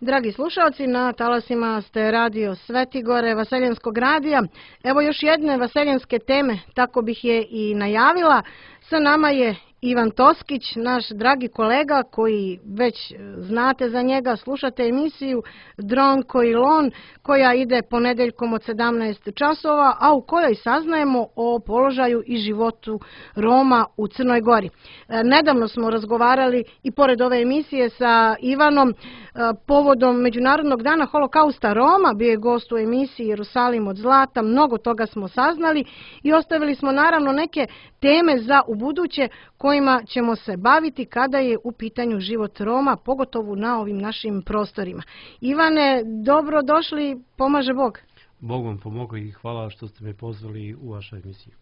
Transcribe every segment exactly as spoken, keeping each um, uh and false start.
Dragi slušalci, na talasima ste radio Svetigore, Vaseljenskog radija. Evo još jedne vaseljenske teme, tako bih je i najavila. Sa nama je Ivan Toskić, naš dragi kolega koji već znate za njega, slušate emisiju Dronko i Lon koja ide ponedeljkom od sedamnaest časova, a u kojoj saznajemo o položaju i životu Roma u Crnoj Gori. Nedavno smo razgovarali i pored ove emisije sa Ivanom povodom Međunarodnog dana holokausta Roma, bio je gost u emisiji Jerusalim od zlata, mnogo toga smo saznali i ostavili smo naravno neke teme za ubuduće kojima ćemo se baviti kada je u pitanju život Roma, pogotovo na ovim našim prostorima. Ivane, dobro došli, pomaže Bog. Bog vam pomogao i hvala što ste me pozvali u vašu emisiju.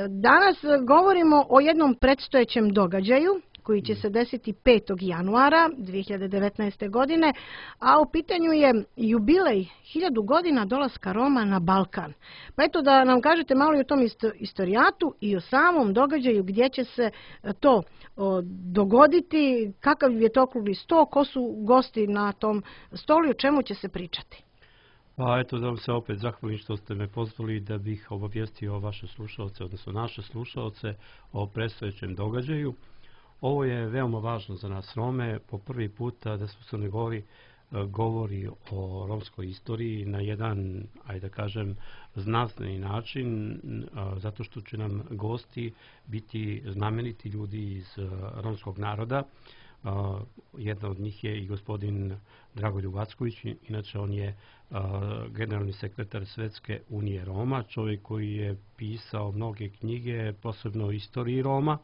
Danas govorimo o jednom predstojećem događaju koji će se desiti petog januara dvije hiljade devetnaeste. godine, a u pitanju je jubilej hiljadu godina dolaska Roma na Balkan. Pa eto da nam kažete malo i o tom istorijatu i o samom događaju gdje će se to dogoditi, kakav je to okrugli sto, ko su gosti na tom stolu i o čemu će se pričati. Pa eto da vam se opet zahvalim što ste me pozvali da bih obavijestio vaše slušalce, odnosno naše slušalce o predstojećem događaju. Ovo je veoma važno za nas Rome, po prvi puta da se u Crnoj Gori govori o romskoj istoriji na jedan, ajde da kažem, znanstveni način, zato što će nam gosti biti znameniti ljudi iz romskog naroda. Jedna od njih je i gospodin Dragoljub Acković, inače on je generalni sekretar Svetske unije Roma, čovjek koji je pisao mnoge knjige, posebno o istoriji Roma.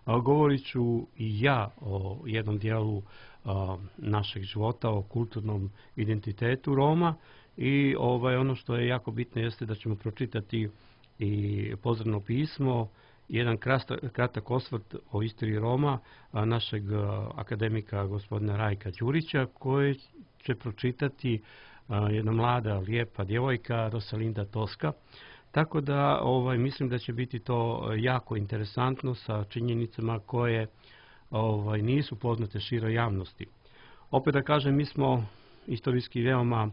Govorit ću i ja o jednom dijelu našeg života, o kulturnom identitetu Roma i ovaj, ono što je jako bitno jeste da ćemo pročitati i pozdravno pismo, jedan kratak osvrt o istoriji Roma našeg akademika gospodina Rajka Đurića, koji će pročitati jedna mlada, lijepa djevojka Rosalinda Toska. Tako da ovaj, mislim da će biti to jako interesantno sa činjenicama koje ovaj, nisu poznate široj javnosti. Opet da kažem, mi smo istorijski veoma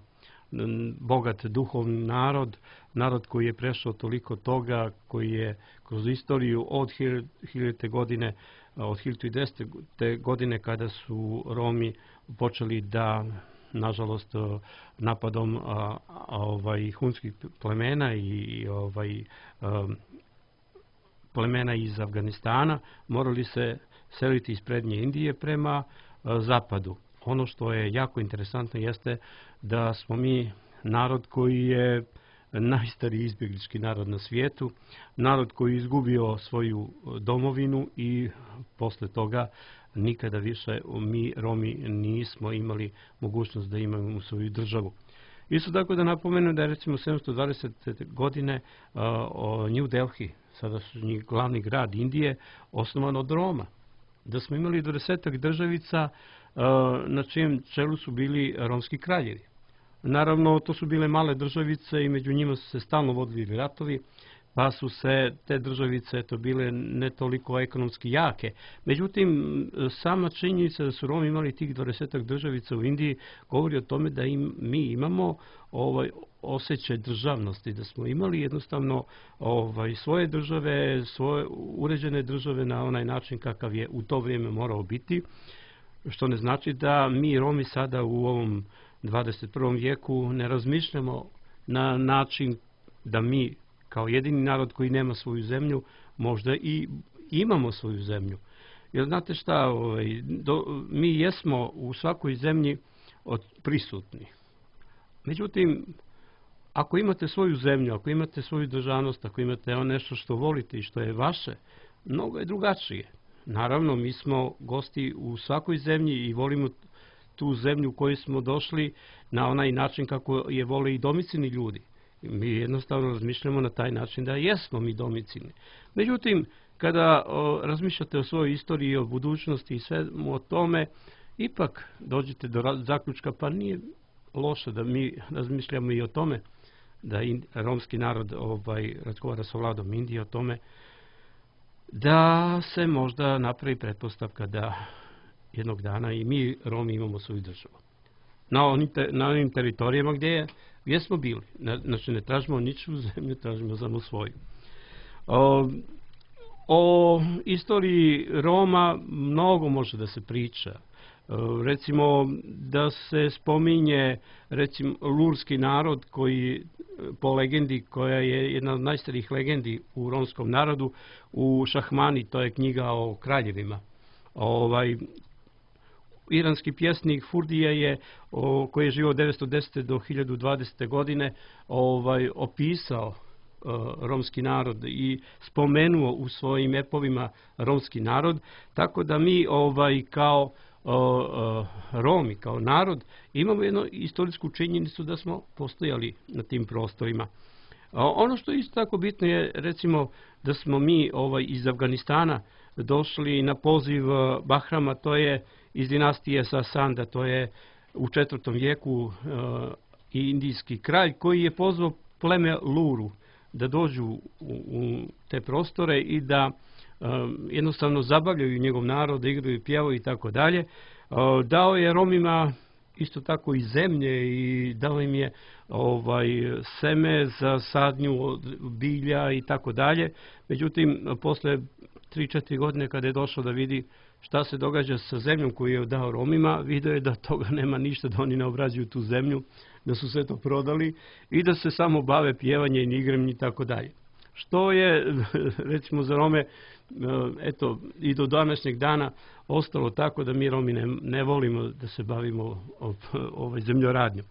bogat duhovni narod, narod koji je prešao toliko toga, koji je kroz istoriju od hiljadite godine, od hiljadu desete. godine kada su Romi počeli da, nažalost, napadom a, a, ovaj, hunskih plemena i ovaj, a, plemena iz Afganistana morali se seliti iz prednje Indije prema a, zapadu. Ono što je jako interesantno jeste da smo mi narod koji je najstariji izbjeglički narod na svijetu, narod koji je izgubio svoju domovinu i posle toga nikada više mi Romi nismo imali mogućnost da imamo svoju državu. Isto tako da napomenem da je recimo sedamsto dvadesete. godine uh, New Delhi, sada su njih glavni grad Indije, osnovan od Roma. Da smo imali dvadesetak državica uh, na čijem čelu su bili romski kraljevi. Naravno, to su bile male državice i među njima su se stalno vodili ratovi, pa su se te državice to bile ne toliko ekonomski jake. Međutim, sama činjenica da su Romi imali tih dvadesetak državica u Indiji govori o tome da im, mi imamo ovaj, osjećaj državnosti, da smo imali jednostavno ovaj, svoje države, svoje uređene države na onaj način kakav je u to vrijeme morao biti, što ne znači da mi Romi sada u ovom dvadeset prvom vijeku ne razmišljamo na način da mi kao jedini narod koji nema svoju zemlju, možda i imamo svoju zemlju. Jer znate šta, ovaj, do, mi jesmo u svakoj zemlji od prisutni. Međutim, ako imate svoju zemlju, ako imate svoju državnost, ako imate ono nešto što volite i što je vaše, mnogo je drugačije. Naravno, mi smo gosti u svakoj zemlji i volimo tu zemlju u kojoj smo došli na onaj način kako je vole i domicilni ljudi. Mi jednostavno razmišljamo na taj način da jesmo mi domicilni. Međutim, kada o, razmišljate o svojoj istoriji, o budućnosti i svemu o tome, ipak dođete do zaključka, pa nije loše da mi razmišljamo i o tome, da in, romski narod ovaj, razgovara sa vladom Indije o tome, da se možda napravi pretpostavka da jednog dana i mi Romi imamo svoju državu. na onim, te, na onim teritorijama gdje, gdje smo bili. Znači ne tražimo niču zemlju, tražimo samo svoju. O, o istoriji Roma mnogo može da se priča. Recimo da se spominje recimo lurski narod koji po legendi, koja je jedna od najstarijih legendi u romskom narodu, u Šahmani, to je knjiga o kraljevima. Ovaj, iranski pjesnik Furdija je, o, koji je živio od devetsto desete do hiljadu dvadesete godine, ovaj, opisao o, romski narod i spomenuo u svojim epovima romski narod, tako da mi ovaj, kao O, o, Romi kao narod imamo jednu istorijsku činjenicu da smo postojali na tim prostorima. O, ono što je isto tako bitno je recimo da smo mi ovaj, iz Afganistana došli na poziv Bahrama, to je iz dinastije Sasanda, to je u četvrtom vijeku o, indijski kralj koji je pozvao pleme Luru da dođu u, u te prostore i da Um, jednostavno zabavljaju njegov narod, da igraju, pjevaju i tako dalje. Dao je Romima isto tako i zemlje i dao im je ovaj, seme za sadnju od bilja i tako dalje. Međutim, posle tri četiri godine kada je došao da vidi šta se događa sa zemljom koju je dao Romima, vidio je da toga nema ništa, da oni ne obrađuju tu zemlju, da su sve to prodali i da se samo bave pjevanjem i igrem i tako dalje. Što je, recimo, za Rome, eto, i do današnjeg dana ostalo tako da mi Romi ne, ne volimo da se bavimo ovaj, zemljoradnjom.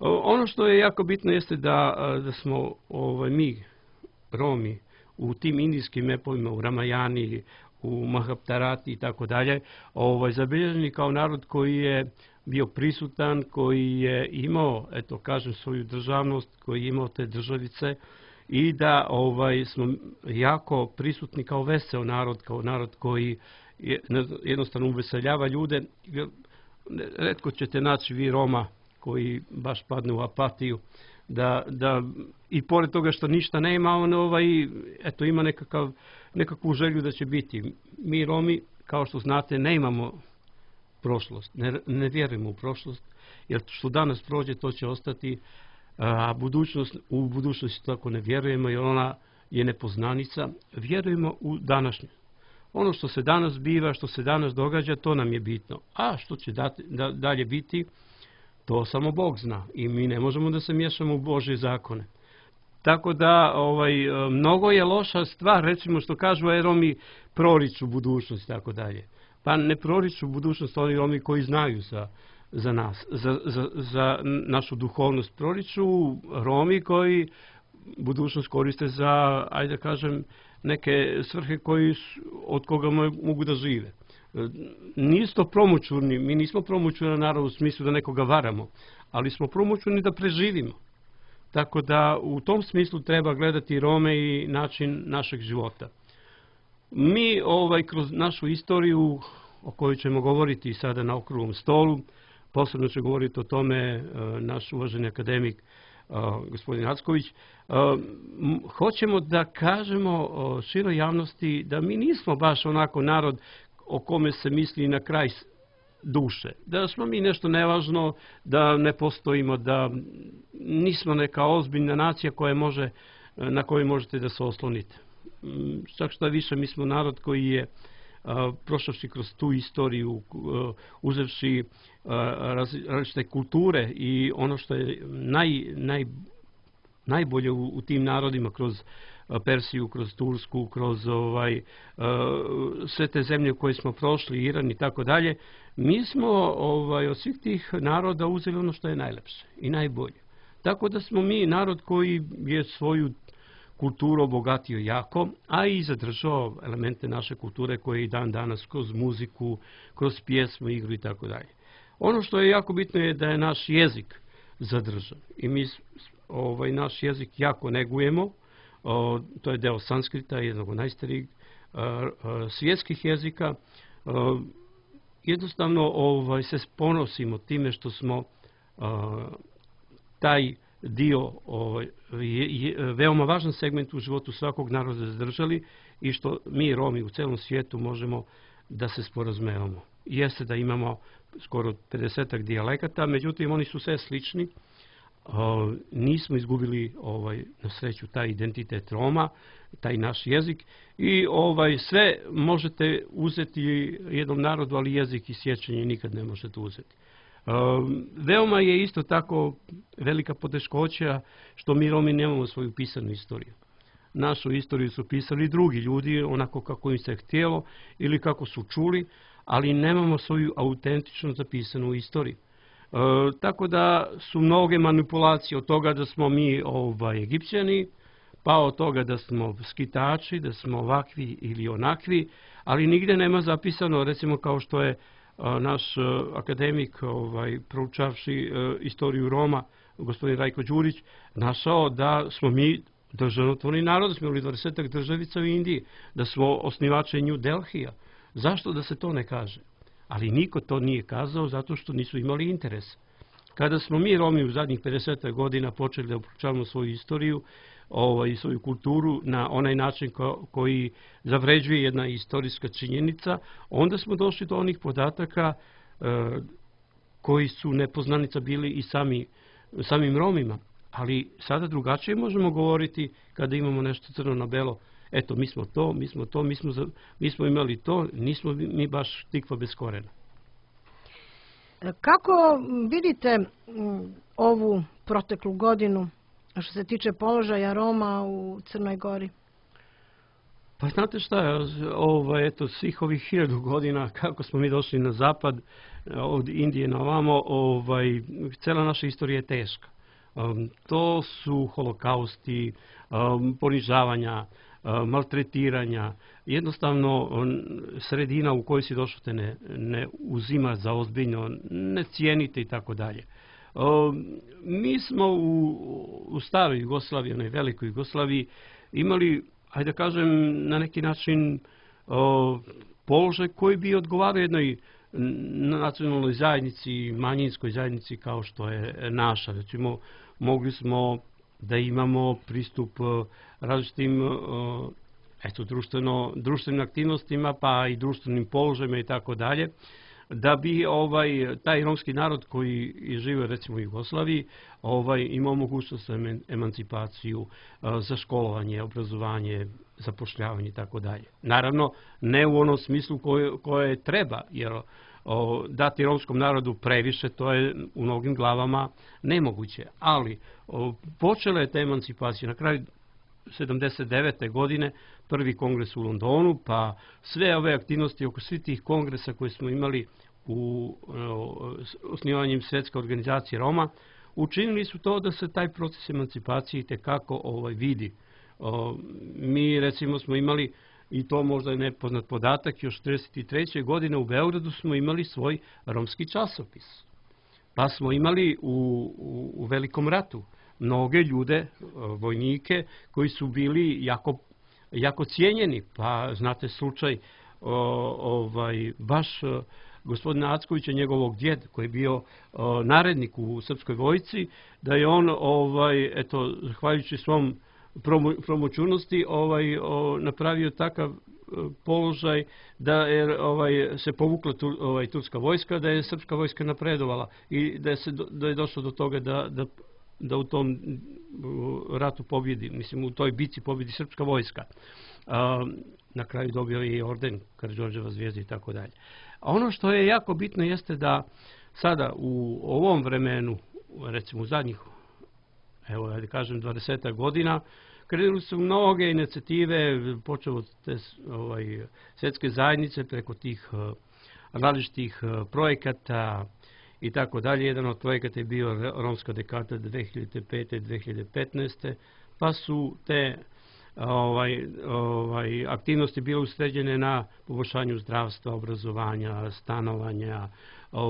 Ono što je jako bitno jeste da, da smo ovaj, mi, Romi, u tim indijskim epovima, u Ramajani, u Mahaptarati i tako dalje, ovaj, zabilježeni kao narod koji je bio prisutan, koji je imao, eto, kažem, svoju državnost, koji je imao te državice, i da ovaj, smo jako prisutni kao veseo narod, kao narod koji je, jednostavno uveseljava ljude. Retko ćete naći vi Roma koji baš padne u apatiju, da, da i pored toga što ništa nema, on ovaj, eto, ima nekakav, nekakvu želju da će biti. Mi Romi, kao što znate, ne imamo prošlost, ne, ne vjerujemo u prošlost, jer što danas prođe, to će ostati. A budućnost, u budućnosti tako ne vjerujemo jer ona je nepoznanica. Vjerujemo u današnje. Ono što se danas biva, što se danas događa, to nam je bitno. A što će dati, da, dalje biti, to samo Bog zna. I mi ne možemo da se miješamo u Božje zakone. Tako da ovaj, mnogo je loša stvar, recimo što kažu a Romi proriču budućnost, tako dalje. Pa ne proriču budućnost oni Romi koji znaju za za nas, za, za, za našu duhovnost. Proriču Romi koji budućnost koriste za, ajde da kažem, neke svrhe koji, od koga mogu da žive. Nisu to promućurni, mi nismo promućurni narod u smislu da nekoga varamo, ali smo promućurni da preživimo. Tako da u tom smislu treba gledati Rome i način našeg života. Mi ovaj, kroz našu istoriju, o kojoj ćemo govoriti sada na okruglom stolu, posebno će govoriti o tome naš uvaženi akademik gospodin Acković, hoćemo da kažemo široj javnosti da mi nismo baš onako narod o kome se misli na kraj duše. Da smo mi nešto nevažno, da ne postojimo, da nismo neka ozbiljna nacija koja može, na kojoj možete da se oslonite. Čak što više, mi smo narod koji je prošavši kroz tu istoriju, uzevši različite kulture i ono što je naj, naj, najbolje u, u tim narodima, kroz Persiju, kroz Tursku, kroz ovaj, sve te zemlje koje smo prošli, Iran i tako dalje, mi smo ovaj, od svih tih naroda uzeli ono što je najlepše i najbolje. Tako da smo mi narod koji je svoju kulturu obogatio jako, a i zadržao elemente naše kulture koje i dan danas kroz muziku, kroz pjesmu, igru i tako dalje. Ono što je jako bitno je da je naš jezik zadržan i mi ovaj, naš jezik jako negujemo. O, to je deo sanskrita, jednog od najstarijih svjetskih jezika. O, jednostavno ovaj, se ponosimo time što smo o, taj dio, ovaj, je, je veoma važan segment u životu svakog naroda zadržali i što mi Romi u celom svijetu možemo da se sporazumevamo. Jeste da imamo skoro pedesetak dijalekata, međutim oni su sve slični. O, nismo izgubili ovaj, na sreću taj identitet Roma, taj naš jezik i ovaj, sve možete uzeti jednom narodu, ali jezik i sjećanje nikad ne možete uzeti. O, veoma je isto tako velika poteškoća što mi Romi nemamo svoju pisanu istoriju. Našu istoriju su pisali drugi ljudi, onako kako im se htjelo ili kako su čuli, ali nemamo svoju autentično zapisanu istoriju. E, tako da su mnoge manipulacije od toga da smo mi ovaj, Egipćani, pa od toga da smo skitači, da smo ovakvi ili onakvi, ali nigde nema zapisano, recimo kao što je a, naš a, akademik ovaj, proučavši a, istoriju Roma, gospodin Rajko Đurić, našao da smo mi državotvorni narod, da smo imali dvadesetak državica u Indiji, da smo osnivači New Delhija. Zašto da se to ne kaže? Ali niko to nije kazao zato što nisu imali interes. Kada smo mi Romi u zadnjih pedeset godina počeli da proučavamo svoju istoriju ovaj, i svoju kulturu na onaj način ko, koji zavređuje jedna istorijska činjenica, onda smo došli do onih podataka e, koji su nepoznanica bili i sami, samim Romima. Ali sada drugačije možemo govoriti kada imamo nešto crno na belo. Eto, mi smo to, mi smo to, mi smo, mi smo imali to, nismo mi baš tikva bez korena. Kako vidite ovu proteklu godinu što se tiče položaja Roma u Crnoj Gori? Pa znate šta, ovaj, eto, svih ovih hiljadu godina kako smo mi došli na zapad, od Indije na ovamo, ovaj, cela naša istorija je teška. Um, to su holokausti, um, ponižavanja, um, maltretiranja, jednostavno um, sredina u kojoj si došao te ne, ne uzima za ozbiljno, ne cijenite i tako dalje. Mi smo u, u staroj Jugoslaviji, onoj velikoj Jugoslaviji, imali, hajde da kažem, na neki način um, položaj koji bi odgovarao jednoj nacionalnoj zajednici, manjinskoj zajednici kao što je naša. Recimo, mogli smo da imamo pristup različitim eto, društveno, društvenim aktivnostima, pa i društvenim položajima i tako dalje, da bi ovaj, taj romski narod koji žive recimo u Jugoslaviji ovaj, imao mogućnost za emancipaciju, za školovanje, obrazovanje, zapošljavanje i tako dalje. Naravno, ne u onom smislu koje, koje treba, jer o, dati romskom narodu previše, to je u mnogim glavama nemoguće. Ali o, počela je ta emancipacija na kraju sedamdeset devete godine, prvi kongres u Londonu, pa sve ove aktivnosti oko svih tih kongresa koje smo imali u o, osnivanjem Svjetske organizacije Roma, učinili su to da se taj proces emancipacije itekako ovaj, vidi. O, mi recimo smo imali, i to možda je nepoznat podatak, još četrdeset treće godine u Beogradu smo imali svoj romski časopis. Pa smo imali u, u, u Velikom ratu mnoge ljude, vojnike, koji su bili jako, jako cijenjeni. Pa znate slučaj o, ovaj, baš gospodina Ackovića, njegovog djeda, koji je bio o, narednik u srpskoj vojsci, da je on, ovaj, eto, zahvaljujući svom promoćurnosti ovaj, o, napravio takav položaj da je ovaj, se povukla tu, ovaj, turska vojska, da je srpska vojska napredovala i da je, se, da je došlo do toga da, da, da u tom ratu pobjedi, mislim u toj bici pobjedi srpska vojska. A, na kraju dobio je i orden Karađorđeva zvijezda i tako dalje. A ono što je jako bitno jeste da sada u ovom vremenu, recimo u zadnjih, evo da kažem, dvadeset godina, krenuli su mnoge inicijative, počeo od te ovaj, svjetske zajednice preko tih uh, različitih uh, projekata i tako dalje. Jedan od projekata je bio Romska dekada dve hiljade pete do dve hiljade petnaeste. Pa su te ovaj, ovaj, aktivnosti bile usređene na poboljšanju zdravstva, obrazovanja, stanovanja,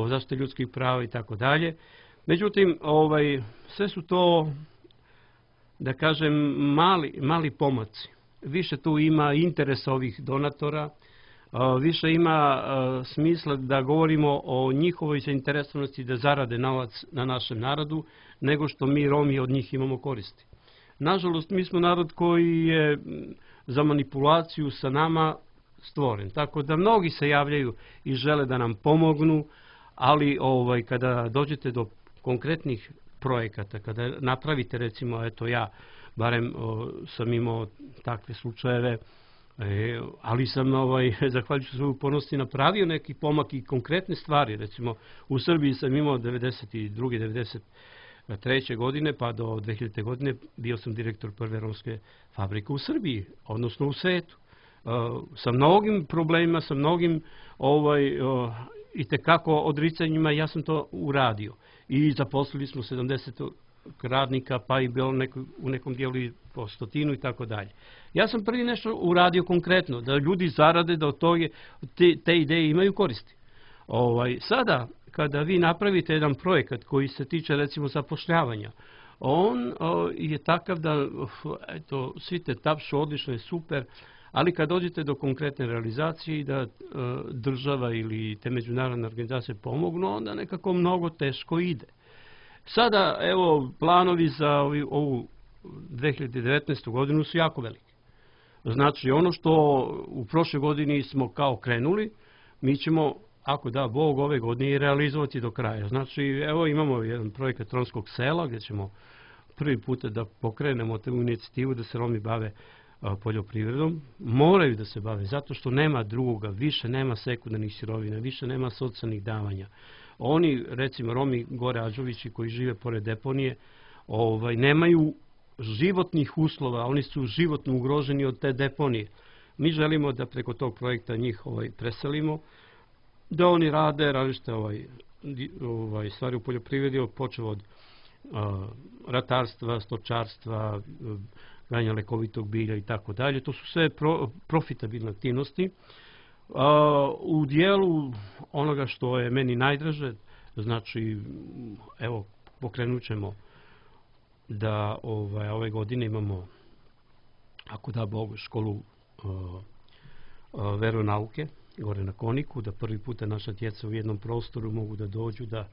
zaštite ljudskih prava i tako dalje. Međutim, ovaj, sve su to, da kažem, mali, mali pomaci. Više tu ima interes ovih donatora, više ima smisla da govorimo o njihovoj zainteresovanosti da zarade novac na našem narodu, nego što mi Romi od njih imamo koristi. Nažalost, mi smo narod koji je za manipulaciju sa nama stvoren. Tako da mnogi se javljaju i žele da nam pomognu, ali ovaj, kada dođete do konkretnih projekata, kada napravite, recimo, eto ja, barem o, sam imao takve slučajeve, e, ali sam, ovaj, zahvaljujući svoju upornosti, napravio neki pomak i konkretne stvari. Recimo, u Srbiji sam imao devedeset druge devedeset treće godine pa do dve hiljadite godine bio sam direktor prve romske fabrike u Srbiji, odnosno u svetu. E, sa mnogim problemima, sa mnogim ovaj, o, i tekako odricanjima ja sam to uradio. I zaposlili smo sedamdeset radnika, pa i bilo neko, u nekom dijelu i po stotinu i tako dalje. Ja sam prvi nešto uradio konkretno, da ljudi zarade, da od toga te, te ideje imaju koristi. Ovaj, sada, kada vi napravite jedan projekat koji se tiče, recimo, zapošljavanja, on o, je takav da, eto, svi te tapšu, odlično je, super, ali kad dođete do konkretne realizacije i da e, država ili te međunarodne organizacije pomognu, onda nekako mnogo teško ide. Sada, evo, planovi za ovu dve hiljade devetnaestu godinu su jako veliki. Znači, ono što u prošloj godini smo kao krenuli, mi ćemo, ako da Bog, ove godine i realizovati do kraja. Znači, evo, imamo jedan projekat romskog sela gdje ćemo prvi put da pokrenemo tu inicijativu da se Romi bave poljoprivredom. Moraju da se bave, zato što nema drugoga, više nema sekundarnih sirovina, više nema socijalnih davanja. Oni, recimo Romi gore Ađovići koji žive pored deponije, ovaj, nemaju životnih uslova, oni su životno ugroženi od te deponije. Mi želimo da preko tog projekta njih ovaj, preselimo, da oni rade različite ovaj, ovaj, stvari u poljoprivredi, počeo od a, ratarstva, stočarstva, ganja lekovitog bilja i tako dalje. To su sve pro, profitabilne aktivnosti. A, u dijelu onoga što je meni najdraže, znači, evo, pokrenut ćemo da ovaj, ove godine imamo, ako da Bog, školu a, a, veronauke gore na Koniku, da prvi puta naša djeca u jednom prostoru mogu da dođu, da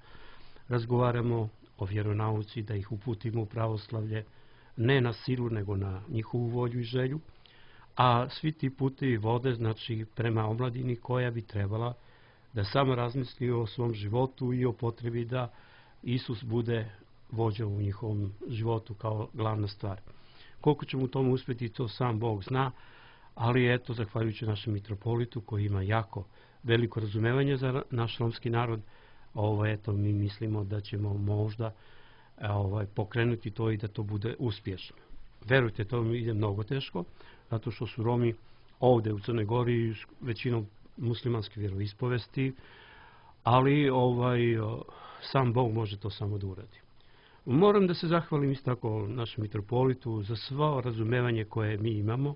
razgovaramo o vjeronauci, da ih uputimo u pravoslavlje, ne na silu, nego na njihovu volju i želju, a svi ti putevi vode, znači, prema omladini koja bi trebala da samo razmisli o svom životu i o potrebi da Isus bude vođa u njihovom životu kao glavna stvar. Koliko ćemo u tomu uspjeti, to sam Bog zna, ali eto, zahvaljujući našem mitropolitu koji ima jako veliko razumevanje za naš romski narod, ovo, eto, mi mislimo da ćemo možda ovaj, pokrenuti to i da to bude uspješno. Verujte, to mi ide mnogo teško, zato što su Romi ovdje u Crnoj Gori većinom muslimanske vjeroispovesti, ali ovaj, sam Bog može to samo da uradi. Moram da se zahvalim isto tako našem mitropolitu za svo razumevanje koje mi imamo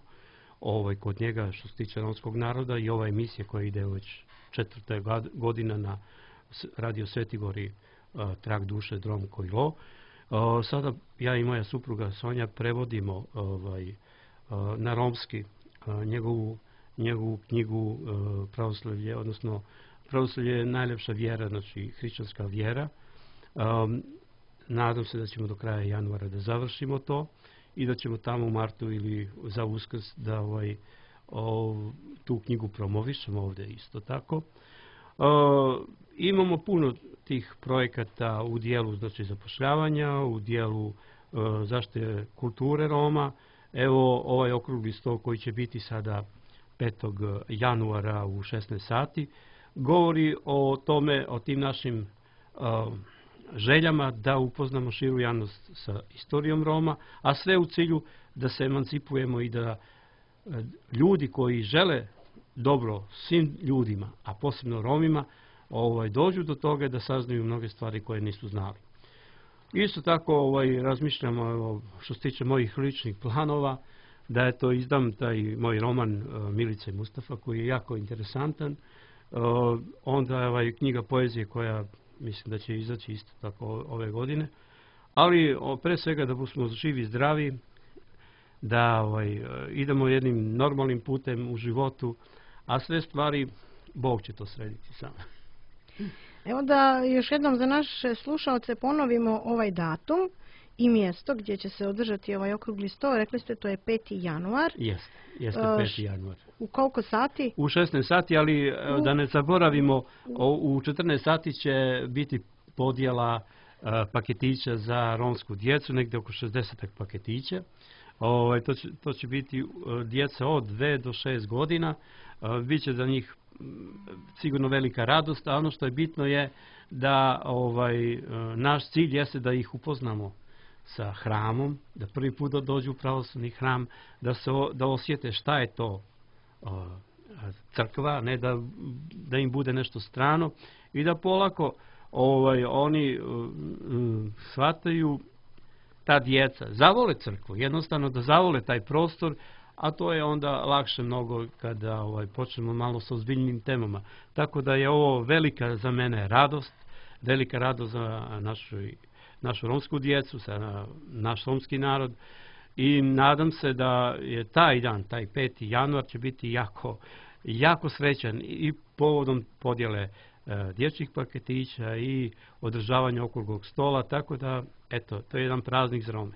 ovaj, kod njega što se tiče romskog naroda i ova emisija koja ide već četvrta godina na Radio Svetigori, Trag duše, Drom Kojlo. Sada ja i moja supruga Sonja prevodimo ovaj, na romski njegovu, njegovu knjigu Pravoslavlje, odnosno Pravoslavlje je najljepša vjera, znači hrišćanska vjera. Um, nadam se da ćemo do kraja januara da završimo to i da ćemo tamo u martu ili za Uskrs da ovaj, o, tu knjigu promovišemo ovdje isto tako. Uh, imamo puno tih projekata u dijelu, znači, zapošljavanja, u dijelu uh, zaštite kulture Roma. Evo, ovaj okrugli sto koji će biti sada petog januara u šesnaest sati govori o tome, o tim našim uh, željama da upoznamo širu javnost sa istorijom Roma, a sve u cilju da se emancipujemo i da uh, ljudi koji žele dobro svim ljudima, a posebno Romima, ovaj, dođu do toga da saznaju mnoge stvari koje nisu znali. Isto tako ovaj, razmišljamo, evo, što se tiče mojih ličnih planova, da je to izdam taj moj roman uh, Milica i Mustafa koji je jako interesantan. Uh, onda je ovaj, knjiga poezije koja mislim da će izaći isto tako ove godine. Ali o, pre svega da smo živi i zdravi, da ovaj, idemo jednim normalnim putem u životu, a sve stvari Bog će to srediti sam. Evo da još jednom za naše slušalce ponovimo ovaj datum i mjesto gdje će se održati ovaj okrugli sto. Rekli ste to je peti januar. Jeste, jeste peti januar. U koliko sati? U šesnaest sati, ali U... da ne zaboravimo, u četrnaest sati će biti podjela paketića za romsku djecu, negdje oko šezdeset paketića. Ovaj, to, će, to će biti djeca od dve do šest godina. Biće za njih sigurno velika radost, a ono što je bitno je da ovaj, naš cilj jeste da ih upoznamo sa hramom, da prvi put dođu u pravoslavni hram, da, se, da osjete šta je to crkva, ne da, da im bude nešto strano i da polako ovaj, oni um, shvataju, ta djeca zavole crkvu, jednostavno da zavole taj prostor, a to je onda lakše mnogo kada ovaj, počnemo malo sa ozbiljnim temama. Tako da je ovo velika za mene radost, velika radost za našu, našu romsku djecu, za naš romski narod i nadam se da je taj dan, taj peti januar će biti jako, jako srećan i povodom podjele dječjih paketića i održavanja okruglog stola, tako da, eto, to je jedan praznik za Rome.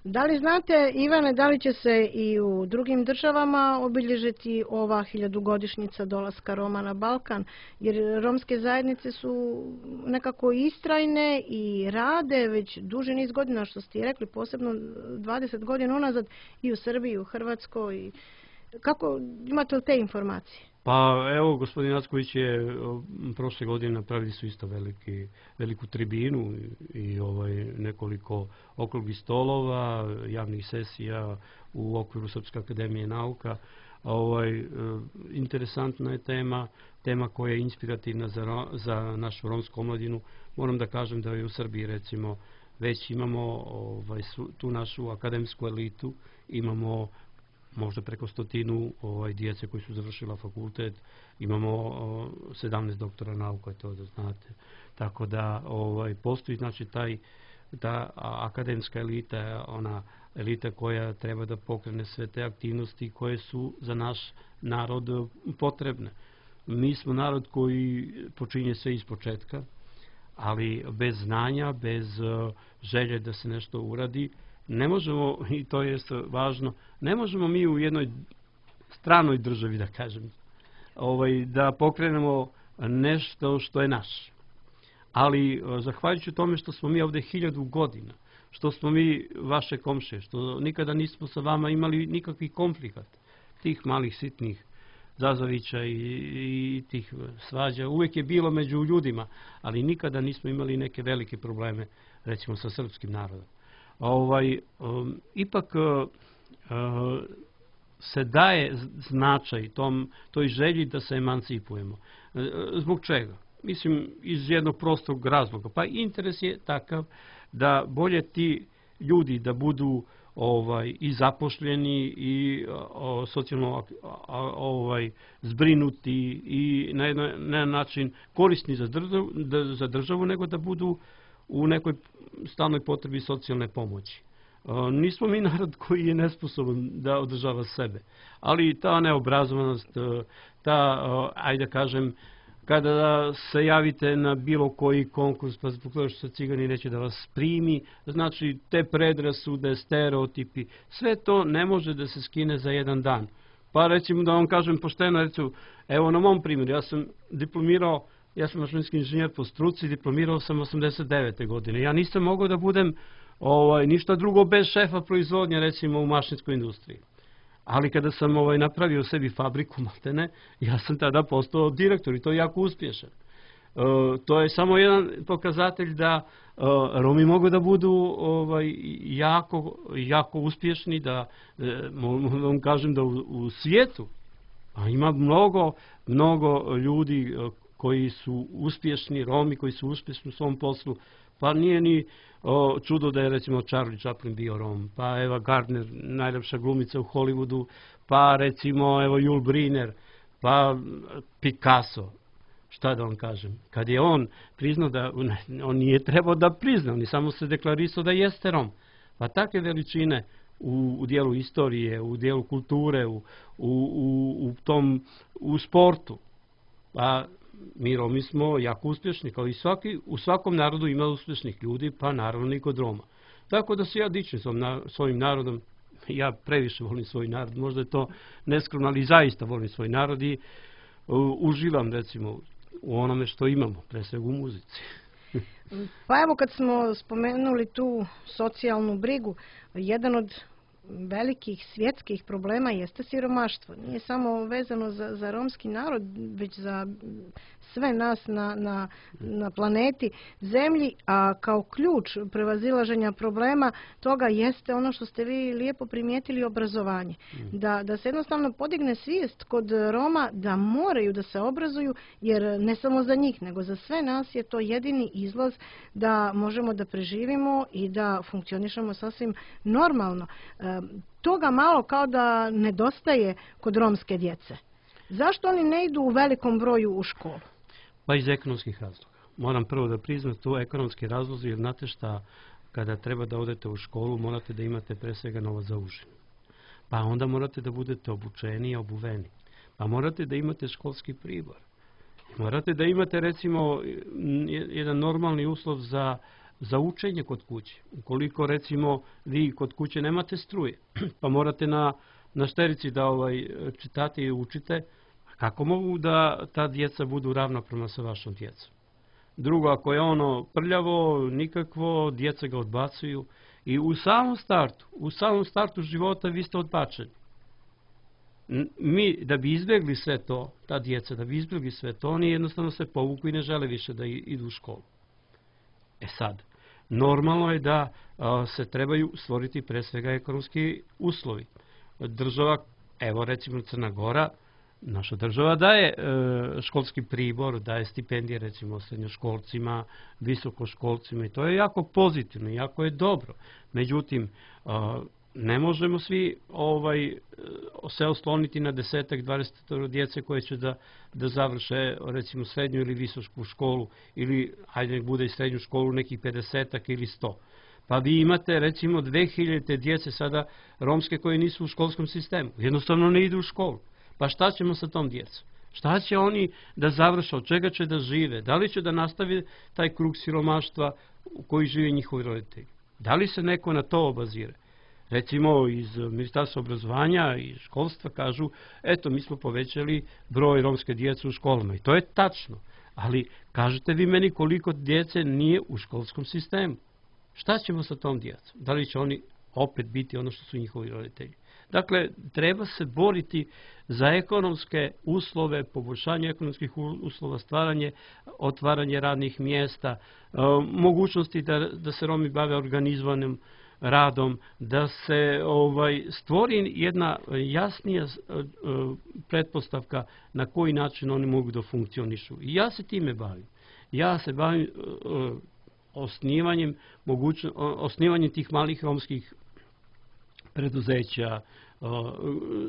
Da li znate, Ivane, da li će se i u drugim državama obilježiti ova hiljadugodišnjica dolaska Roma na Balkan? Jer romske zajednice su nekako istrajne i rade već duži niz godina, što ste rekli, posebno dvadeset godina unazad i u Srbiji, i u Hrvatskoj. Kako imate li te informacije? Pa evo, gospodin Acković je prošle godine napravili su isto veliki, veliku tribinu i, i ovaj, nekoliko okruglih stolova, javnih sesija u okviru Srpske akademije nauka. Ovaj, interesantna je tema, tema koja je inspirativna za, za našu romsku omladinu. Moram da kažem da je u Srbiji recimo već imamo ovaj, tu našu akademsku elitu, imamo možda preko stotinu ovaj, djece koji su završila fakultet, imamo o, sedamnaest doktora nauka, to da znate. Tako da ovaj, postoji znači taj, ta akademska elita, ona elita koja treba da pokrene sve te aktivnosti koje su za naš narod potrebne. Mi smo narod koji počinje sve iz početka, ali bez znanja, bez uh, želje da se nešto uradi, ne možemo, i to je važno, ne možemo mi u jednoj stranoj državi, da kažem, ovaj, da pokrenemo nešto što je naš. Ali, zahvaljujući tome što smo mi ovdje hiljadu godina, što smo mi vaše komšije, što nikada nismo sa vama imali nikakvih konflikat, tih malih sitnih zazavića i, i tih svađa, uvijek je bilo među ljudima, ali nikada nismo imali neke velike probleme, recimo sa srpskim narodom. Ovaj, um, ipak uh, se daje značaj tom, toj želji da se emancipujemo. Uh, zbog čega? Mislim, iz jednog prostog razloga. Pa interes je takav da bolje ti ljudi da budu ovaj, i zapošljeni i o, socijalno ovaj, zbrinuti i na jedan na način korisni za državu, da, za državu, nego da budu u nekoj stalnoj potrebi socijalne pomoći. E, nismo mi narod koji je nesposoban da održava sebe, ali ta neobrazovanost, ta, ajde da kažem, kada se javite na bilo koji konkurs, pa zbog toga što se cigani neće da vas primi, znači te predrasude, stereotipi, sve to ne može da se skine za jedan dan. Pa recimo da vam kažem pošteno, recimo, evo na mom primjeru, ja sam diplomirao, ja sam mašinski inženjer po struci, diplomirao sam osamdeset devete godine. Ja nisam mogao da budem ovaj, ništa drugo bez šefa proizvodnje, recimo u mašinskoj industriji. Ali kada sam ovaj, napravio sebi fabriku maltene, ja sam tada postao direktor i to je jako uspješan. E, to je samo jedan pokazatelj da e, Romi mogu da budu ovaj, jako, jako uspješni, da e, vam kažem da u, u svijetu a ima mnogo, mnogo ljudi koji su uspješni, Romi koji su uspješni u svom poslu. Pa nije ni o, čudo da je recimo Charlie Chaplin bio Rom, pa Eva Gardner, najljepša glumica u Hollywoodu, pa recimo evo Jules Briner, pa Picasso. Šta da vam kažem? Kad je on priznao da, on nije trebao da prizna, on je samo se deklarisao da jeste Rom. Pa takve veličine u, u dijelu istorije, u dijelu kulture, u, u, u, u tom, u sportu. Pa mi Romi smo jako uspješni, kao i svaki, u svakom narodu ima uspješnih ljudi, pa naravno i kod Roma. Tako da se ja dičim svojim narodom, ja previše volim svoj narod, možda je to neskromno, ali zaista volim svoj narod i uživam recimo u onome što imamo, pre svega u muzici. Pa evo kad smo spomenuli tu socijalnu brigu, jedan od velikih svjetskih problema jeste siromaštvo. Nije samo vezano za, za romski narod, već za sve nas na, na, na planeti Zemlji, a kao ključ prevazilaženja problema toga jeste ono što ste vi lijepo primijetili, obrazovanje. Da, da se jednostavno podigne svijest kod Roma da moraju da se obrazuju, jer ne samo za njih, nego za sve nas je to jedini izlaz da možemo da preživimo i da funkcionišemo sasvim normalno. Toga malo kao da nedostaje kod romske djece. Zašto oni ne idu u velikom broju u školu? Pa iz ekonomskih razloga. Moram prvo da priznam to ekonomski razlozi, jer znate šta, kada treba da odete u školu, morate da imate pre svega novac za užinu. Pa onda morate da budete obučeni i obuveni. Pa morate da imate školski pribor. Morate da imate recimo jedan normalni uslov za za učenje kod kuće. Ukoliko recimo vi kod kuće nemate struje, pa morate na, na šterici da ovaj, čitate i učite, kako mogu da ta djeca budu ravnopravna sa vašom djecom? Drugo, ako je ono prljavo, nikakvo, djeca ga odbacuju i u samom startu, u samom startu života vi ste odbačeni. Mi, da bi izbjegli sve to, ta djeca, da bi izbjegli sve to, oni jednostavno se povuku i ne žele više da idu u školu. E sad, normalno je da a, se trebaju stvoriti pre svega ekonomski uslovi. Država, evo recimo Crna Gora, naša država daje e, školski pribor, daje stipendije recimo srednjoškolcima, visokoškolcima i to je jako pozitivno, jako je dobro. Međutim, a, ne možemo svi ovaj, se osloniti na desetak, dvadeset djece koje će da, da završe recimo srednju ili visoku školu ili hajde nek bude i srednju školu nekih pedesetak ili sto. Pa vi imate recimo dve hiljade djece sada romske koje nisu u školskom sistemu. Jednostavno ne idu u školu. Pa šta ćemo sa tom djecom? Šta će oni da završe, od čega će da žive? Da li će da nastavi taj krug siromaštva u koji žive njihovi roditelji? Da li se neko na to obazire? Recimo iz Ministarstva obrazovanja i školstva kažu, eto mi smo povećali broj romske djece u školama i to je tačno, ali kažete vi meni koliko djece nije u školskom sistemu. Šta ćemo sa tom djecom? Da li će oni opet biti ono što su njihovi roditelji? Dakle, treba se boriti za ekonomske uslove, poboljšanje ekonomskih uslova, stvaranje, otvaranje radnih mjesta, mogućnosti da, da se Romi bave organizovanim radom, da se ovaj, stvori jedna jasnija pretpostavka na koji način oni mogu da funkcionišu. I ja se time bavim. Ja se bavim uh, osnivanjem, mogućno, osnivanjem tih malih romskih preduzeća, uh,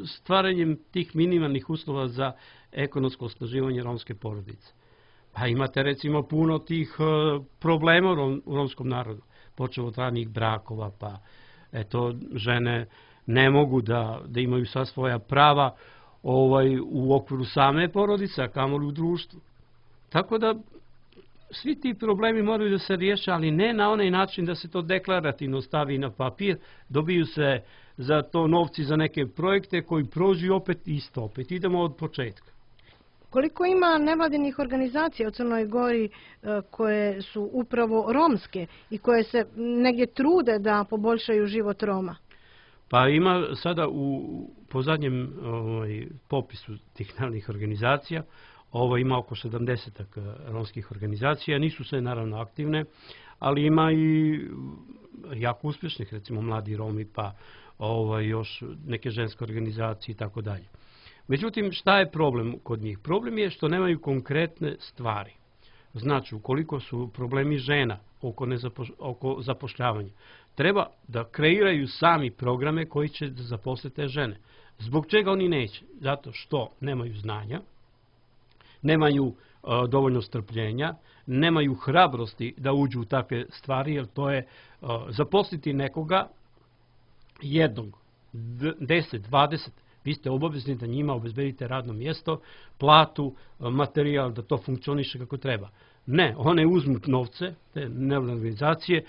stvaranjem tih minimalnih uslova za ekonomsko osnaživanje romske porodice. Pa imate recimo puno tih uh, problema u, rom, u romskom narodu. Počeo od ranih brakova, pa eto, žene ne mogu da, da imaju sva svoja prava ovaj, u okviru same porodice, a kamoli u društvu. Tako da svi ti problemi moraju da se riješe, ali ne na onaj način da se to deklarativno stavi na papir, dobiju se za to novci za neke projekte koji prođu i opet isto, opet idemo od početka. Koliko ima nevladinih organizacija u Crnoj Gori koje su upravo romske i koje se negdje trude da poboljšaju život Roma? Pa ima sada u, po zadnjem ovaj, popisu tih nevladinih organizacija, ovo ima oko sedamdeset romskih organizacija, nisu sve naravno aktivne, ali ima i jako uspješnih, recimo Mladi Romi, pa ovaj, još neke ženske organizacije i tako dalje. Međutim, šta je problem kod njih? Problem je što nemaju konkretne stvari. Znači, ukoliko su problemi žena oko, nezapoš oko zapošljavanja, treba da kreiraju sami programe koji će da zaposle te žene. Zbog čega oni neće? Zato što nemaju znanja, nemaju uh, dovoljno strpljenja, nemaju hrabrosti da uđu u takve stvari, jer to je uh, zaposliti nekoga jednog, deset, dvadeset, Vi ste obavezni da njima obezbedite radno mjesto, platu, materijal, da to funkcioniše kako treba. Ne, one uzmu novce, te nevladine organizacije,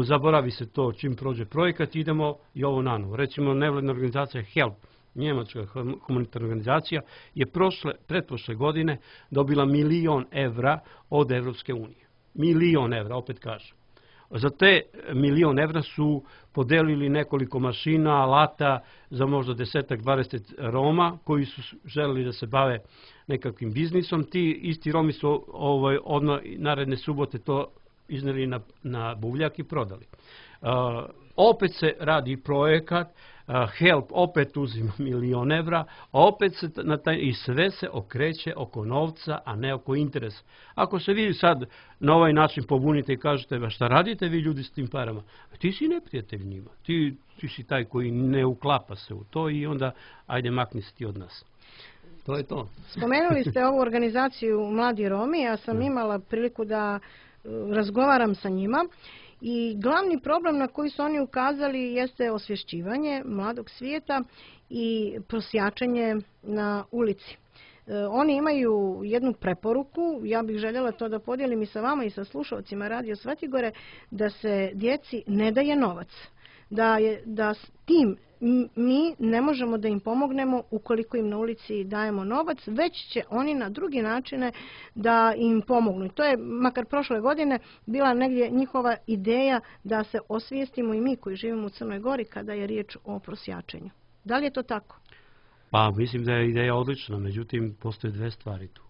zaboravi se to čim prođe projekat, idemo i ovo nanovo. Recimo, nevladina organizacija HELP, njemačka humanitarna organizacija, je prošle, pretprošle godine dobila milion evra od Evropske unije. Milion evra, opet kažem. Za te milion evra su podelili nekoliko mašina, alata za možda desetak, dvadeset Roma koji su želeli da se bave nekakvim biznisom. Ti isti Romi su ovaj, odmah naredne subote to izneli na, na buvljak i prodali. Uh, opet se radi projekat, uh, HELP opet uzima milion evra, a opet se na taj, i sve se okreće oko novca, a ne oko interesa. Ako se vi sad na ovaj način pobunite i kažete, ba šta radite vi ljudi s tim parama? Ti si neprijatelj njima, ti, ti si taj koji ne uklapa se u to i onda ajde makni se ti od nas. To je to. Spomenuli ste ovu organizaciju Mladi Romi, ja sam imala priliku da razgovaram sa njima i glavni problem na koji su oni ukazali jeste osvješćivanje mladog svijeta i prosjačenje na ulici. Oni imaju jednu preporuku, ja bih željela to da podijelim i sa vama i sa slušalcima Radio Svetigore, da se djeci ne daje novac. Da, je, da s tim mi ne možemo da im pomognemo ukoliko im na ulici dajemo novac, već će oni na drugi načine da im pomognu. To je, makar prošle godine, bila negdje njihova ideja da se osvijestimo i mi koji živimo u Crnoj Gori kada je riječ o prosjačenju. Da li je to tako? Pa mislim da je ideja odlična, međutim postoje dve stvari tu.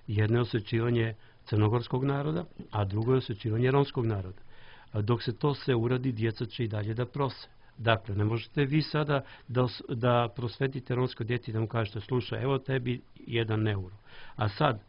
Jedno je osvećivanje crnogorskog naroda, a drugo je osvećivanje romskog naroda. Dok se to sve uradi, djeca će i dalje da prose. Dakle, ne možete vi sada da, da prosvetite romsko djete i da mu kažete, slušaj, evo tebi jedan euro. A sad,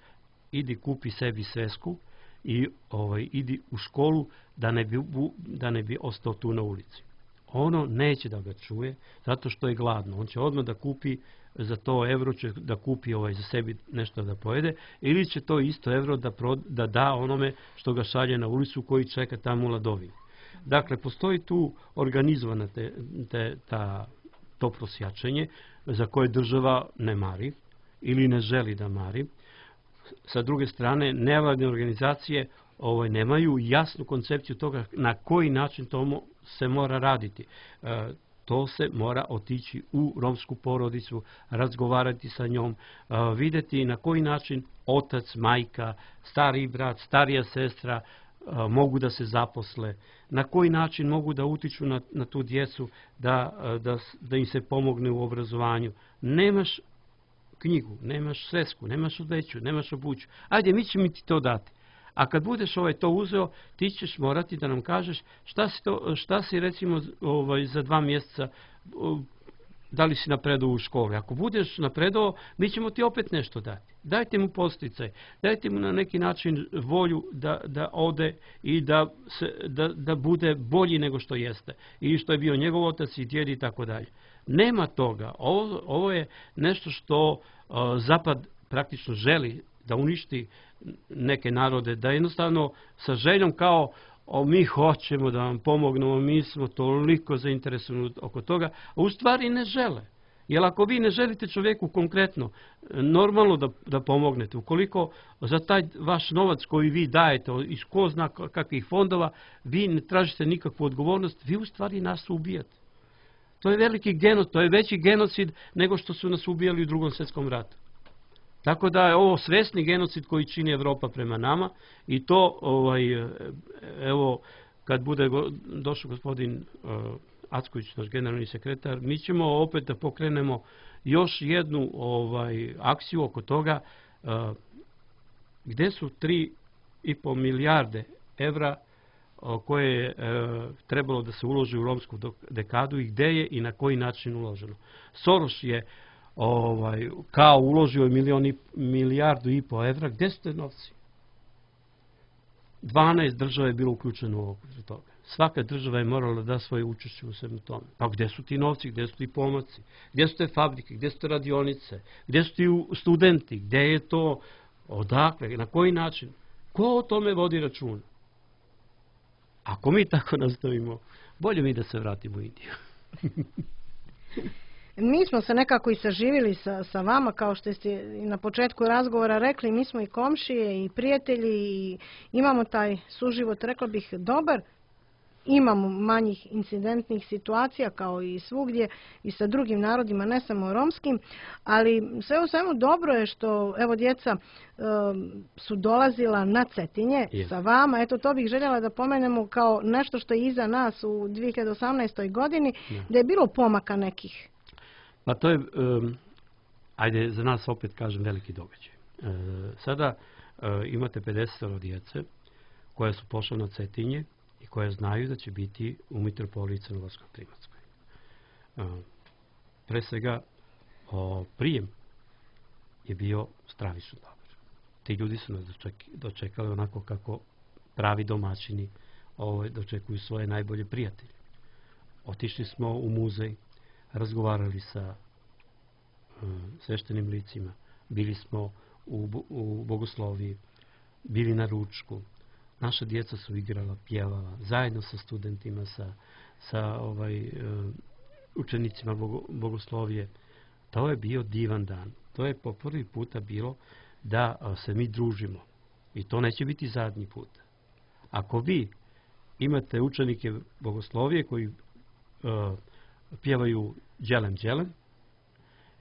idi kupi sebi svesku i ovaj, idi u školu da ne, bi, da ne bi ostao tu na ulici. Ono neće da ga čuje, zato što je gladno. On će odmah da kupi, za to evro će da kupi ovaj, za sebi nešto da pojede, ili će to isto evro da, pro, da da onome što ga šalje na ulicu koji čeka tamo u ladovini. Dakle, postoji tu organizovana te, te, ta, to prosjačenje za koje država ne mari ili ne želi da mari. Sa druge strane, nevladine organizacije ovaj, nemaju jasnu koncepciju toga na koji način to se mora raditi. E, to se mora otići u romsku porodicu, razgovarati sa njom, e, vidjeti na koji način otac, majka, stari brat, starija sestra e, mogu da se zaposle, na koji način mogu da utiču na, na tu djecu, da, da, da im se pomogne u obrazovanju. Nemaš knjigu, nemaš svesku, nemaš odjeću, nemaš obuću. Ajde, mi ćemo ti to dati. A kad budeš ovaj to uzeo, ti ćeš morati da nam kažeš šta si, to, šta si recimo ovaj, za dva mjeseca, da li si napredao u školi. Ako budeš napredao, mi ćemo ti opet nešto dati. Dajte mu posticaj, dajte mu na neki način volju da, da ode i da, se, da, da bude bolji nego što jeste. I što je bio njegov otac i djed i tako dalje. Nema toga. Ovo, ovo je nešto što uh, Zapad praktično želi da uništi neke narode, da jednostavno sa željom kao o, mi hoćemo da vam pomognemo, mi smo toliko zainteresovani oko toga, a u stvari ne žele. Jer ako vi ne želite čovjeku konkretno, normalno da, da pomognete, ukoliko za taj vaš novac koji vi dajete iz ko zna kakvih fondova, vi ne tražite nikakvu odgovornost, vi u stvari nas ubijate. To je veliki genocid, to je veći genocid nego što su nas ubijali u Drugom svjetskom ratu. Tako da je ovo svesni genocid koji čini Evropa prema nama i to, ovaj, evo, kad bude go, došao gospodin uh, Acković, naš generalni sekretar, mi ćemo opet da pokrenemo još jednu ovaj, akciju oko toga uh, gdje su tri i po milijarde evra uh, koje je uh, trebalo da se uloži u romsku dekadu i gdje je i na koji način uloženo. Soros je ovaj, kao uložio milion i, milijardu i po evra, gdje su te novci? dvanaest država je bilo uključeno u okviru toga. Svaka država je morala da svoje učešće u svemu tome. Pa gdje su ti novci, gdje su ti pomaci, gdje su te fabrike, gdje su te radionice, gdje su ti studenti, gdje je to, odakle, na koji način? Ko o tome vodi računa? Ako mi tako nastavimo, bolje mi da se vratimo u Indiju. Mi smo se nekako i saživili sa, sa vama, kao što ste i na početku razgovora rekli, mi smo i komšije i prijatelji i imamo taj suživot, rekla bih, dobar. Imamo manjih incidentnih situacija kao i svugdje i sa drugim narodima, ne samo romskim, ali sve u svemu dobro je što evo djeca e, su dolazila na Cetinje yes. sa vama. Eto, to bih željela da pomenemo kao nešto što je iza nas u dvije hiljade osamnaestoj godini, yeah. da je bilo pomaka nekih. Pa to je, um, ajde, za nas opet kažem veliki događaj. E, sada e, imate pedeset djece koje su pošle na Cetinje i koje znaju da će biti u mitropoliji Crnogorsko-Klimatskoj. Pre svega, o, prijem je bio stravično dobar. Ti ljudi su nas dočekali onako kako pravi domaćini ovo, dočekuju svoje najbolje prijatelje. Otišli smo u muzej, razgovarali sa um, sveštenim licima, bili smo u, u bogosloviji, bili na ručku. Naša djeca su igrala, pjevala, zajedno sa studentima, sa, sa ovaj, uh, učenicima bogo, bogoslovije. To je bio divan dan. To je po prvi puta bilo da uh, se mi družimo. I to neće biti zadnji put. Ako vi imate učenike bogoslovije koji uh, pjevaju đelem đelem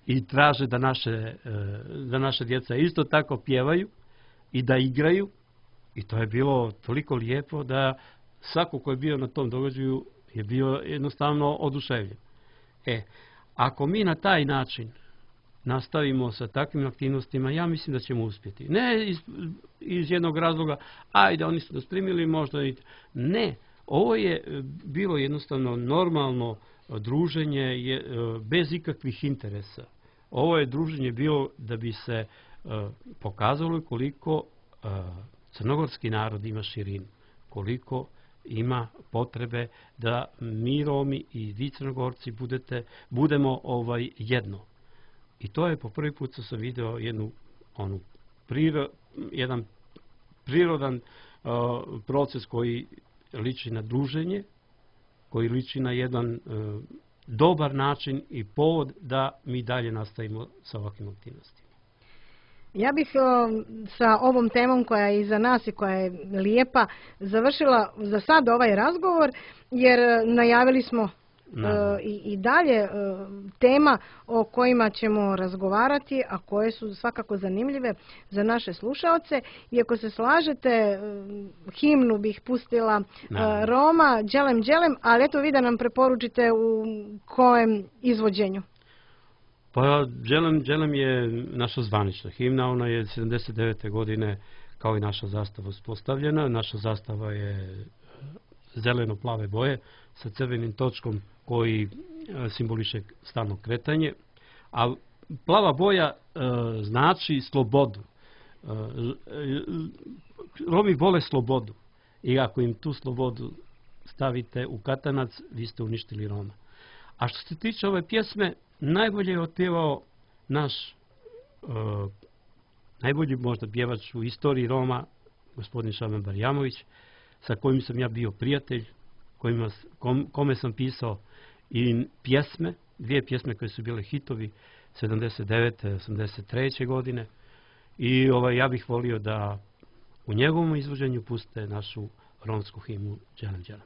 i traže da naše, uh, da naše djeca isto tako pjevaju i da igraju, i to je bilo toliko lijepo da svako ko je bio na tom događaju je bio jednostavno oduševljen. E, ako mi na taj način nastavimo sa takvim aktivnostima, ja mislim da ćemo uspjeti. Ne iz, iz jednog razloga, ajde, oni su nas primili možda i... Ne, ovo je bilo jednostavno normalno druženje je, bez ikakvih interesa. Ovo je druženje bilo da bi se uh, pokazalo koliko uh, crnogorski narod ima širinu, koliko ima potrebe da mi Romi i vi Crnogorci budete, budemo ovaj jedno. I to je po prvi put što sam video jednu, onu, priro, jedan prirodan uh, proces koji liči na druženje, koji liči na jedan uh, dobar način i povod da mi dalje nastavimo sa ovakvim aktivnostima. Ja bih o, sa ovom temom koja je iza nas i koja je lijepa završila za sad ovaj razgovor, jer najavili smo e, i, i dalje e, tema o kojima ćemo razgovarati, a koje su svakako zanimljive za naše slušaoce. I ako se slažete, e, himnu bih pustila e, Roma, đelem đelem, ali eto vi da nam preporučite u kojem izvođenju. Pa đelem đelem je naša zvanična himna, ona je sedamdeset devete godine kao i naša zastava uspostavljena. Naša zastava je zeleno-plave boje sa crvenim točkom koji simboliše stalno kretanje, a plava boja e, znači slobodu. E, Romi vole slobodu i ako im tu slobodu stavite u katanac, vi ste uništili Roma. A što se tiče ove pjesme, najbolje je otpjevao naš uh, najbolji možda pjevač u istoriji Roma, gospodin Šaban Barjamović, sa kojim sam ja bio prijatelj, kojima, kom, kome sam pisao i pjesme, dvije pjesme koje su bile hitovi sedamdeset devete osamdeset treće godine. I ovaj, ja bih volio da u njegovom izvođenju puste našu romsku himnu đelem đelem.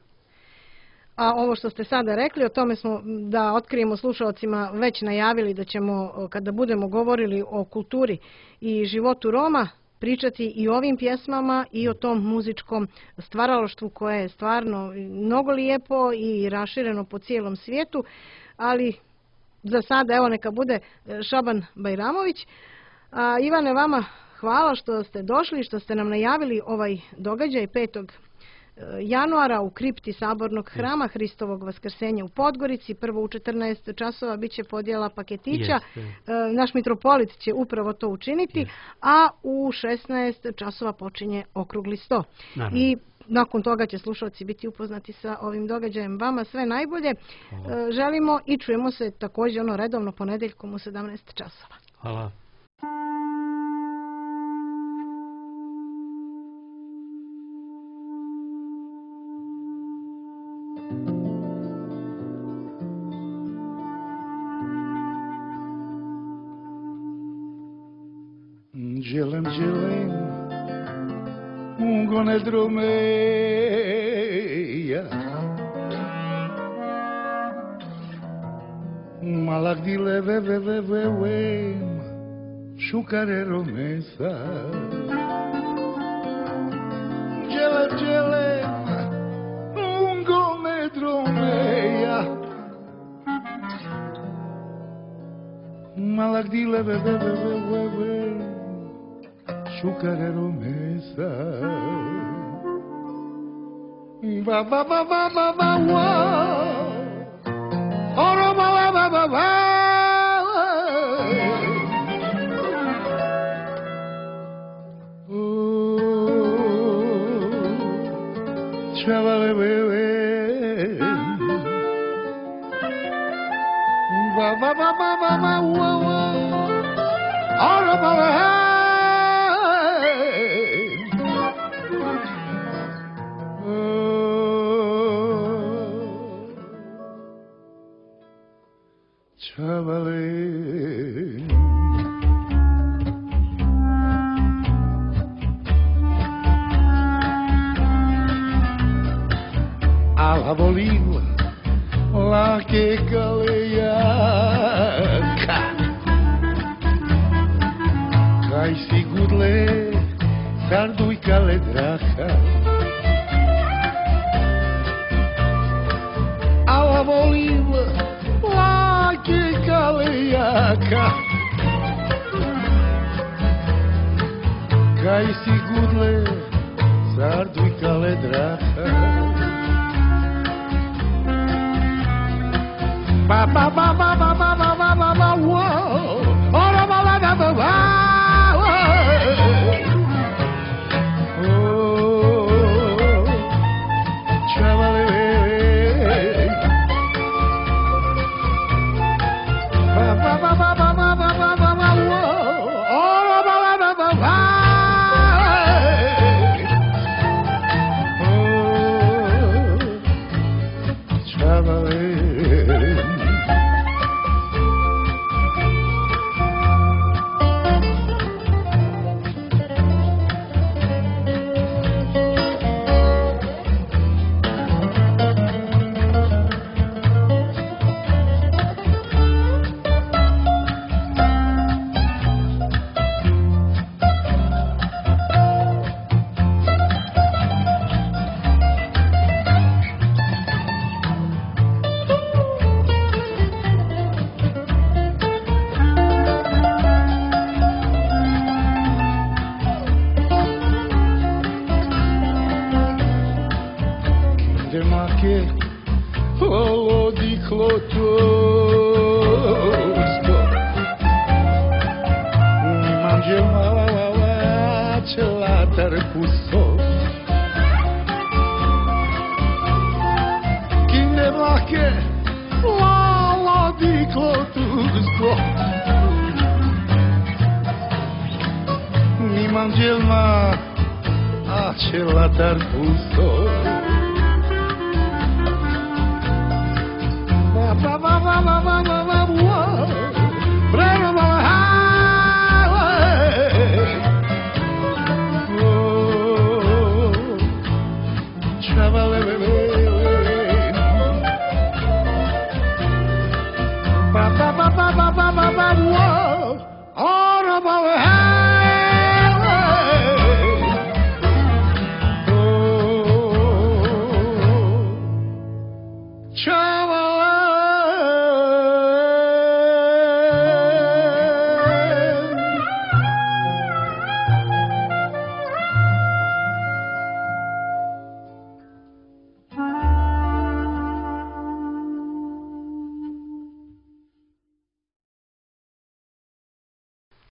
A ovo što ste sada rekli, o tome smo, da otkrijemo slušalcima, već najavili da ćemo, kada budemo govorili o kulturi i životu Roma, pričati i o ovim pjesmama i o tom muzičkom stvaralaštvu koje je stvarno mnogo lijepo i rašireno po cijelom svijetu, ali za sada evo neka bude Šaban Bajramović. A, Ivane, vama hvala što ste došli, što ste nam najavili ovaj događaj petog januara u kripti Sabornog hrama Hristovog vaskrsenja u Podgorici. Prvo u četrnaest časova bit će podjela paketića. Yes. Naš mitropolit će upravo to učiniti, yes. a u šesnaest časova počinje okrugli sto. Naravno. I nakon toga će slušalci biti upoznati sa ovim događajem. Vama sve najbolje. Hvala. Želimo i čujemo se također ono redovno ponedeljkom u sedamnaest časova. Hvala. Gelem, gelem, un gonedromeia. Malak dile ve ve ve ve vem, shukare romesa. Gelem, gelem, un gonedromeia. Malak dile ve ve ve ve ve vem, shukare romesa. Ba ba ba ba ba ba wa. Ora ba ba ba ba ba. Oh, chavale bebe. Ba ba ba ba ba ba wa wa. Ora ba ba. Chavale. Alla volila la che galeaca Kai sigudle sardu i kale draha Alla volila che galeaca Kai sigudle sardu i kale draha Ba ba ba ba ba ba ba ba ba ba wow Ora ba ba ba ba ba Oh Chavale Ba ba ba ba ba ba ba ba ba ba wow Ora ba ba ba ba ba Oh Chavale Ba ba ba ba ba ba ba ba ba whoa